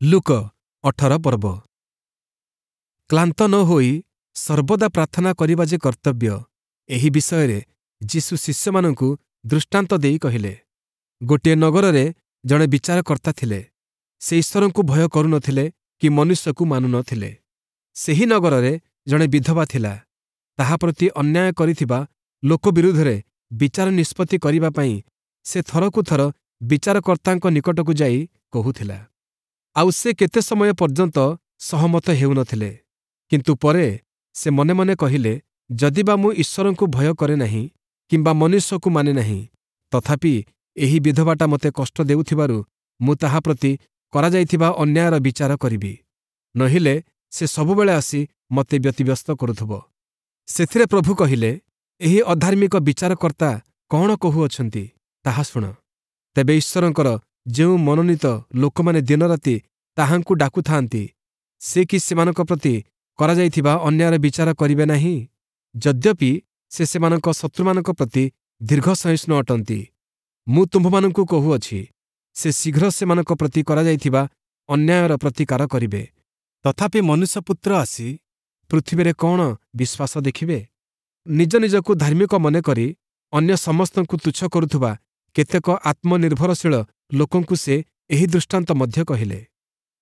ଲୂକ 18 ପର୍ବ। କ୍ଳାନ୍ତ ନ ହୋଇ ସର୍ବଦା ପ୍ରାର୍ଥନା କରିବା ଯେ କର୍ତ୍ତବ୍ୟ, ଏହି ବିଷୟରେ ଯୀଶୁ ଶିଷ୍ୟମାନଙ୍କୁ ଦୃଷ୍ଟାନ୍ତ ଦେଇ କହିଲେ, ଗୋଟିଏ ନଗରରେ ଜଣେ ବିଚାରକର୍ତ୍ତା ଥିଲେ। ସେ ଈଶ୍ୱରଙ୍କୁ ଭୟ କରୁନଥିଲେ କି ମନୁଷ୍ୟକୁ ମାନୁନଥିଲେ। ସେହି ନଗରରେ ଜଣେ ବିଧବା ଥିଲା। ତାହା ପ୍ରତି ଅନ୍ୟାୟ କରିଥିବା ଲୋକ ବିରୁଦ୍ଧରେ ବିଚାର ନିଷ୍ପତ୍ତି କରିବା ପାଇଁ ସେ ଥରକୁ ଥର ବିଚାରକର୍ତ୍ତାଙ୍କ ନିକଟକୁ ଯାଇ କହୁଥିଲା। ଆଉ ସେ କେତେ ସମୟ ପର୍ଯ୍ୟନ୍ତ ସହମତ ହେଉନଥିଲେ। କିନ୍ତୁ ପରେ ସେ ମନେ ମନେ କହିଲେ, ଯଦି ବା ମୁଁ ଈଶ୍ୱରଙ୍କୁ ଭୟ କରେ ନାହିଁ କିମ୍ବା ମନୁଷ୍ୟକୁ ମାନେ ନାହିଁ, ତଥାପି ଏହି ବିଧବାଟା ମୋତେ କଷ୍ଟ ଦେଉଥିବାରୁ ମୁଁ ତାହା ପ୍ରତି କରାଯାଇଥିବା ଅନ୍ୟାୟର ବିଚାର କରିବି, ନୋହିଲେ ସେ ସବୁବେଳେ ଆସି ମୋତେ ବ୍ୟତିବ୍ୟସ୍ତ କରୁଥିବ। ସେଥିରେ ପ୍ରଭୁ କହିଲେ, ଏହି ଅଧାର୍ମିକ ବିଚାରକର୍ତ୍ତା କ'ଣ କହୁଅଛନ୍ତି ତାହା ଶୁଣ। ତେବେ ଈଶ୍ୱରଙ୍କର ଯେଉଁ ମନୋନୀତ ଲୋକମାନେ ଦିନରାତି ତାହାଙ୍କୁ ଡାକୁଥାନ୍ତି, ସେ କି ସେମାନଙ୍କ ପ୍ରତି କରାଯାଇଥିବା ଅନ୍ୟାୟର ବିଚାର କରିବେ ନାହିଁ? ଯଦ୍ୟପି ସେ ସେମାନଙ୍କ ଶତ୍ରୁମାନଙ୍କ ପ୍ରତି ଦୀର୍ଘସହିଷ୍ଣୁ ଅଟନ୍ତି, ମୁଁ ତୁମ୍ଭମାନଙ୍କୁ କହୁଅଛି, ସେ ଶୀଘ୍ର ସେମାନଙ୍କ ପ୍ରତି କରାଯାଇଥିବା ଅନ୍ୟାୟର ପ୍ରତିକାର କରିବେ। ତଥାପି ମନୁଷ୍ୟପୁତ୍ର ଆସି ପୃଥିବୀରେ କ'ଣ ବିଶ୍ୱାସ ଦେଖିବେ? ନିଜ ନିଜକୁ ଧାର୍ମିକ ମନେକରି ଅନ୍ୟ ସମସ୍ତଙ୍କୁ ତୁଚ୍ଛ କରୁଥିବା କେତେକ ଆତ୍ମନିର୍ଭରଶୀଳ ଲୋକଙ୍କୁ ସେ ଏହି ଦୃଷ୍ଟାନ୍ତ ମଧ୍ୟ କହିଲେ।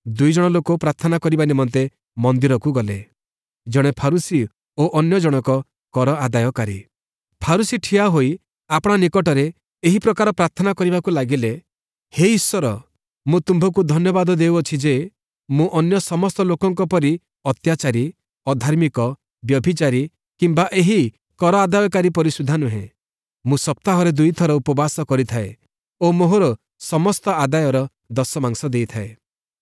ଦୁଇଜଣ ଲୋକ ପ୍ରାର୍ଥନା କରିବା ନିମନ୍ତେ ମନ୍ଦିରକୁ ଗଲେ, ଜଣେ ଫାରୂଶୀ ଓ ଅନ୍ୟ ଜଣକ କର ଆଦାୟକାରୀ। ଫାରୂଶୀ ଠିଆ ହୋଇ ଆପଣା ନିକଟରେ ଏହି ପ୍ରକାର ପ୍ରାର୍ଥନା କରିବାକୁ ଲାଗିଲେ, ହେ ଈଶ୍ୱର, ମୁଁ ତୁମ୍ଭକୁ ଧନ୍ୟବାଦ ଦେଉଅଛି ଯେ ମୁଁ ଅନ୍ୟ ସମସ୍ତ ଲୋକଙ୍କ ପରି ଅତ୍ୟାଚାରୀ, ଅଧାର୍ମିକ, ବ୍ୟଭିଚାରୀ କିମ୍ବା ଏହି କର ଆଦାୟକାରୀ ପରି ସୁଦ୍ଧା ନୁହେଁ। ମୁଁ ସପ୍ତାହରେ ଦୁଇଥର ଉପବାସ କରିଥାଏ ଓ ମୋହର ସମସ୍ତ ଆଦାୟର ଦଶମାଂଶ ଦେଇଥାଏ।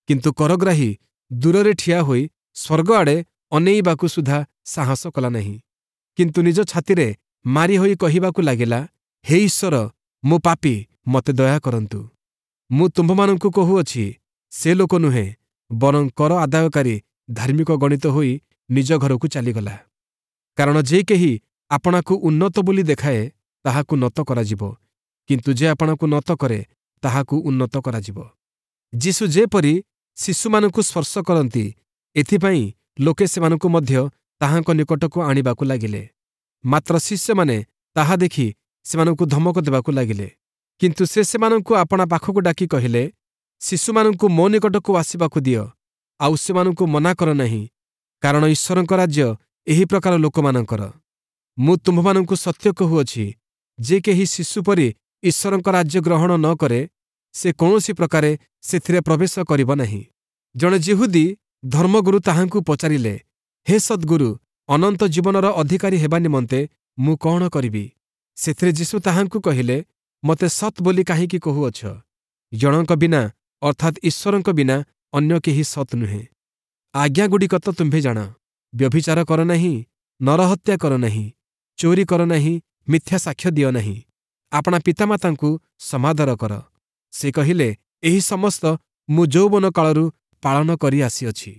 କିନ୍ତୁ କରଗ୍ରାହୀ ଦୂରରେ ଠିଆ ହୋଇ ସ୍ୱର୍ଗ ଆଡ଼େ ଅନେଇବାକୁ ସୁଦ୍ଧା ସାହସ କଲା ନାହିଁ, କିନ୍ତୁ ନିଜ ଛାତିରେ ମାରି ହୋଇ କହିବାକୁ ଲାଗିଲା, ହେ ଈଶ୍ୱର, ମୁଁ ପାପୀ, ମୋତେ ଦୟା କରନ୍ତୁ। ମୁଁ ତୁମ୍ଭମାନଙ୍କୁ କହୁଅଛି, ସେ ଲୋକ ନୁହେଁ, ବରଂ କର ଆଦାୟକାରୀ ଧାର୍ମିକ ଗଣିତ ହୋଇ ନିଜ ଘରକୁ ଚାଲିଗଲା। କାରଣ ଯେ କେହି ଆପଣାକୁ ଉନ୍ନତ ବୋଲି ଦେଖାଏ, ତାହାକୁ ନତ କରାଯିବ, କିନ୍ତୁ ଯେ ଆପଣାକୁ ନତ କରେ, ତାହାକୁ ଉନ୍ନତ କରାଯିବ। ଯୀଶୁ ଯେପରି ଶିଶୁମାନଙ୍କୁ ସ୍ପର୍ଶ କରନ୍ତି, ଏଥିପାଇଁ ଲୋକେ ସେମାନଙ୍କୁ ମଧ୍ୟ ତାହାଙ୍କ ନିକଟକୁ ଆଣିବାକୁ ଲାଗିଲେ। ମାତ୍ର ଶିଷ୍ୟମାନେ ତାହା ଦେଖି ସେମାନଙ୍କୁ ଧମକ ଦେବାକୁ ଲାଗିଲେ। କିନ୍ତୁ ସେ ସେମାନଙ୍କୁ ଆପଣା ପାଖକୁ ଡାକି କହିଲେ, ଶିଶୁମାନଙ୍କୁ ମୋ ନିକଟକୁ ଆସିବାକୁ ଦିଅ, ଆଉ ସେମାନଙ୍କୁ ମନା କର ନାହିଁ, କାରଣ ଈଶ୍ୱରଙ୍କ ରାଜ୍ୟ ଏହି ପ୍ରକାର ଲୋକମାନଙ୍କର। ମୁଁ ତୁମ୍ଭମାନଙ୍କୁ ସତ୍ୟ କହୁଅଛି, ଯେ କେହି ଶିଶୁ ପରି ଈଶ୍ୱରଙ୍କ ରାଜ୍ୟ ଗ୍ରହଣ ନ କରେ, ସେ କୌଣସି ପ୍ରକାରେ ସେଥିରେ ପ୍ରବେଶ କରିବ ନାହିଁ। ଜଣେ ଯିହୁଦୀ ଧର୍ମଗୁରୁ ତାହାଙ୍କୁ ପଚାରିଲେ, ହେ ସଦ୍ଗୁରୁ, ଅନନ୍ତ ଜୀବନର ଅଧିକାରୀ ହେବା ନିମନ୍ତେ ମୁଁ କ'ଣ କରିବି? ସେଥିରେ ଯୀଶୁ ତାହାଙ୍କୁ କହିଲେ, ମୋତେ ସତ୍ ବୋଲି କାହିଁକି କହୁଅଛ? ଜଣଙ୍କ ବିନା, ଅର୍ଥାତ୍ ଈଶ୍ୱରଙ୍କ ବିନା ଅନ୍ୟ କେହି ସତ୍ ନୁହେଁ। ଆଜ୍ଞାଗୁଡ଼ିକ ତ ତୁମ୍ଭେ ଜାଣ, ବ୍ୟଭିଚାର କର ନାହିଁ, ନରହତ୍ୟା କର ନାହିଁ, ଚୋରି କର ନାହିଁ, ମିଥ୍ୟା ସାକ୍ଷ୍ୟ ଦିଅ ନାହିଁ, ଆପଣା ପିତାମାତାଙ୍କୁ ସମାଦର କର। ସେ କହିଲେ, ଏହି ସମସ୍ତ ମୁଁ ଯୌବନ କାଳରୁ ପାଳନ କରି ଆସିଅଛି।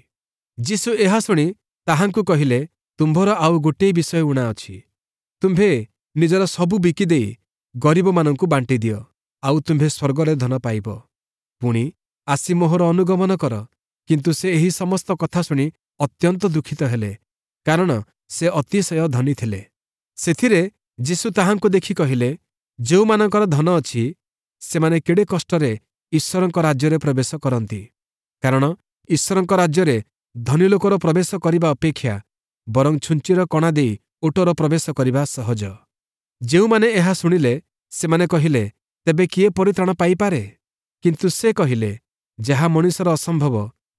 ଯୀଶୁ ଏହା ଶୁଣି ତାହାଙ୍କୁ କହିଲେ, ତୁମ୍ଭର ଆଉ ଗୋଟିଏ ବିଷୟ ଊଣା ଅଛି। ତୁମ୍ଭେ ନିଜର ସବୁ ବିକିଦେଇ ଗରିବମାନଙ୍କୁ ବାଣ୍ଟିଦିଅ, ଆଉ ତୁମ୍ଭେ ସ୍ୱର୍ଗରେ ଧନ ପାଇବ। ପୁଣି ଆସି ମୋହର ଅନୁଗମନ କର। କିନ୍ତୁ ସେ ଏହି ସମସ୍ତ କଥା ଶୁଣି ଅତ୍ୟନ୍ତ ଦୁଃଖିତ ହେଲେ, କାରଣ ସେ ଅତିଶୟ ଧନୀ ଥିଲେ। ସେଥିରେ ଯୀଶୁ ତାହାଙ୍କୁ ଦେଖି କହିଲେ, ଯେଉଁମାନଙ୍କର ଧନ ଅଛି, ସେମାନେ କେଡ଼େ କଷ୍ଟରେ ଈଶ୍ୱରଙ୍କ ରାଜ୍ୟରେ ପ୍ରବେଶ କରନ୍ତି। କାରଣ ଈଶ୍ୱରଙ୍କ ରାଜ୍ୟରେ ଧନୀ ଲୋକର ପ୍ରବେଶ କରିବା ଅପେକ୍ଷା ବରଂ ଛୁଞ୍ଚିର କଣା ଦେଇ ଓଟର ପ୍ରବେଶ କରିବା ସହଜ। ଯେଉଁମାନେ ଏହା ଶୁଣିଲେ, ସେମାନେ କହିଲେ, ତେବେ କିଏ ପରିତ୍ରାଣ ପାଇପାରେ? କିନ୍ତୁ ସେ କହିଲେ, ଯାହା ମଣିଷର ଅସମ୍ଭବ,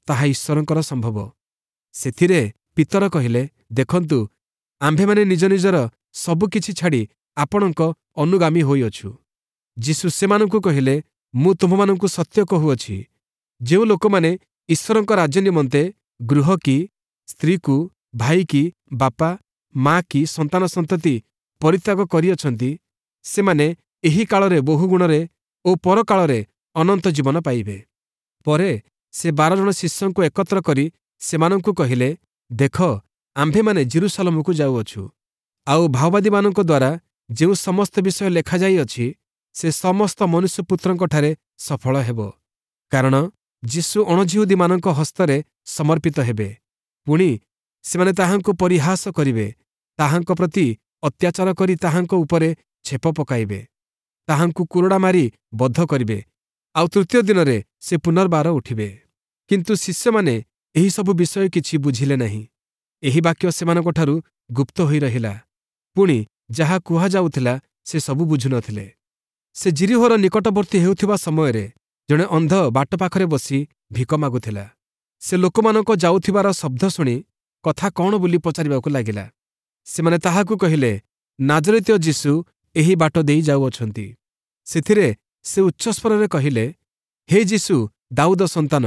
ତାହା ଈଶ୍ୱରଙ୍କର ସମ୍ଭବ। ସେଥିରେ ପିତର କହିଲେ, ଦେଖନ୍ତୁ, ଆମ୍ଭେମାନେ ନିଜ ନିଜର ସବୁକିଛି ଛାଡ଼ି ଆପଣଙ୍କ ଅନୁଗାମୀ ହୋଇଅଛୁ। ଯୀଶୁ ସେମାନଙ୍କୁ କହିଲେ, ମୁଁ ତୁମ୍ଭମାନଙ୍କୁ ସତ୍ୟ କହୁଅଛି, ଯେଉଁ ଲୋକମାନେ ଈଶ୍ୱରଙ୍କ ରାଜ୍ୟ ନିମନ୍ତେ ଗୃହ କି ସ୍ତ୍ରୀକୁ, ଭାଇ କି ବାପା ମା କି ସନ୍ତାନ ସନ୍ତତି ପରିତ୍ୟାଗ କରିଅଛନ୍ତି, ସେମାନେ ଏହି କାଳରେ ବହୁଗୁଣରେ ଓ ପରକାଳରେ ଅନନ୍ତ ଜୀବନ ପାଇବେ। ପରେ ସେ 12 ଜଣ ଶିଷ୍ୟଙ୍କୁ ଏକତ୍ର କରି ସେମାନଙ୍କୁ କହିଲେ, ଦେଖ, ଆମ୍ଭେମାନେ ଯିରୂଶାଲମକୁ ଯାଉଅଛୁ, ଆଉ ଭାଓବାଦୀମାନଙ୍କ ଦ୍ୱାରା ଯେଉଁ ସମସ୍ତ ବିଷୟ ଲେଖାଯାଇଅଛି, ସେ ସମସ୍ତ ମନୁଷ୍ୟପୁତ୍ରଙ୍କଠାରେ ସଫଳ ହେବ। କାରଣ ଯୀଶୁ ଅଣଯିହୂଦୀମାନଙ୍କ ହସ୍ତରେ ସମର୍ପିତ ହେବେ। ପୁଣି ସେମାନେ ତାହାଙ୍କୁ ପରିହାସ କରିବେ, ତାହାଙ୍କ ପ୍ରତି ଅତ୍ୟାଚାର କରି ତାହାଙ୍କ ଉପରେ ଛେପ ପକାଇବେ, ତାହାଙ୍କୁ କୁରଡ଼ା ମାରି ବଧ କରିବେ, ଆଉ ତୃତୀୟ ଦିନରେ ସେ ପୁନର୍ବାର ଉଠିବେ। କିନ୍ତୁ ଶିଷ୍ୟମାନେ ଏହିସବୁ ବିଷୟ କିଛି ବୁଝିଲେ ନାହିଁ। ଏହି ବାକ୍ୟ ସେମାନଙ୍କଠାରୁ ଗୁପ୍ତ ହୋଇ ରହିଲା, ପୁଣି ଯାହା କୁହାଯାଉଥିଲା ସେ ସବୁ ବୁଝୁନଥିଲେ। ସେ ଯିରୀହୋର ନିକଟବର୍ତ୍ତୀ ହେଉଥିବା ସମୟରେ ଜଣେ ଅନ୍ଧ ବାଟ ପାଖରେ ବସି ଭିକ ମାଗୁଥିଲା। ସେ ଲୋକମାନଙ୍କ ଯାଉଥିବାର ଶବ୍ଦ ଶୁଣି କଥା କ'ଣ ବୋଲି ପଚାରିବାକୁ ଲାଗିଲା। ସେମାନେ ତାହାକୁ କହିଲେ, ନାଜରିତୀୟ ଯୀଶୁ ଏହି ବାଟ ଦେଇ ଯାଉଅଛନ୍ତି। ସେଥିରେ ସେ ଉଚ୍ଚସ୍ୱରରେ କହିଲେ, ହେ ଯୀଶୁ, ଦାଉଦ ସନ୍ତାନ,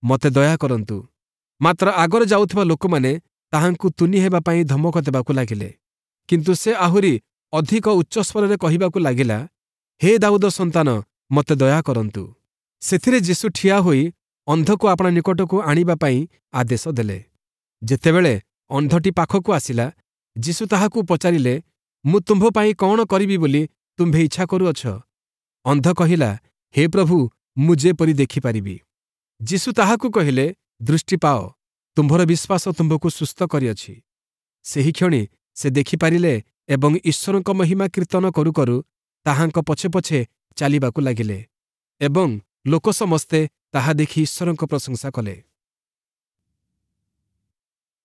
ମୋତେ ଦୟା କରନ୍ତୁ। ମାତ୍ର ଆଗରେ ଯାଉଥିବା ଲୋକମାନେ ତାହାଙ୍କୁ ତୁନି ହେବା ପାଇଁ ଧମକ ଦେବାକୁ ଲାଗିଲେ। କିନ୍ତୁ ସେ ଆହୁରି ଅଧିକ ଉଚ୍ଚସ୍ୱରରେ କହିବାକୁ ଲାଗିଲା, ହେ ଦାଉଦ ସନ୍ତାନ, ମୋତେ ଦୟା କରନ୍ତୁ। ସେଥିରେ ଯୀଶୁ ଠିଆ ହୋଇ ଅନ୍ଧକୁ ଆପଣା ନିକଟକୁ ଆଣିବା ପାଇଁ ଆଦେଶ ଦେଲେ। ଯେତେବେଳେ ଅନ୍ଧଟି ପାଖକୁ ଆସିଲା, ଯୀଶୁ ତାହାକୁ ପଚାରିଲେ, ମୁଁ ତୁମ୍ଭ ପାଇଁ କ'ଣ କରିବି ବୋଲି ତୁମ୍ଭେ ଇଚ୍ଛା କରୁଅଛ? ଅନ୍ଧ କହିଲା, ହେ ପ୍ରଭୁ, ମୁଁ ଯେପରି ଦେଖିପାରିବି। ଯୀଶୁ ତାହାକୁ କହିଲେ, ଦୃଷ୍ଟି ପାଅ, ତୁମ୍ଭର ବିଶ୍ୱାସ ତୁମ୍ଭକୁ ସୁସ୍ଥ କରିଅଛି। ସେହିକ୍ଷଣି ସେ ଦେଖିପାରିଲେ ଏବଂ ଈଶ୍ୱରଙ୍କ ମହିମା କୀର୍ତ୍ତନ କରୁ କରୁ ତାହାଙ୍କ ପଛେ ପଛେ ଚାଲିବାକୁ ଲାଗିଲେ ଏବଂ ଲୋକ ସମସ୍ତେ ତାହା ଦେଖି ଈଶ୍ୱରଙ୍କ ପ୍ରଶଂସା କଲେ।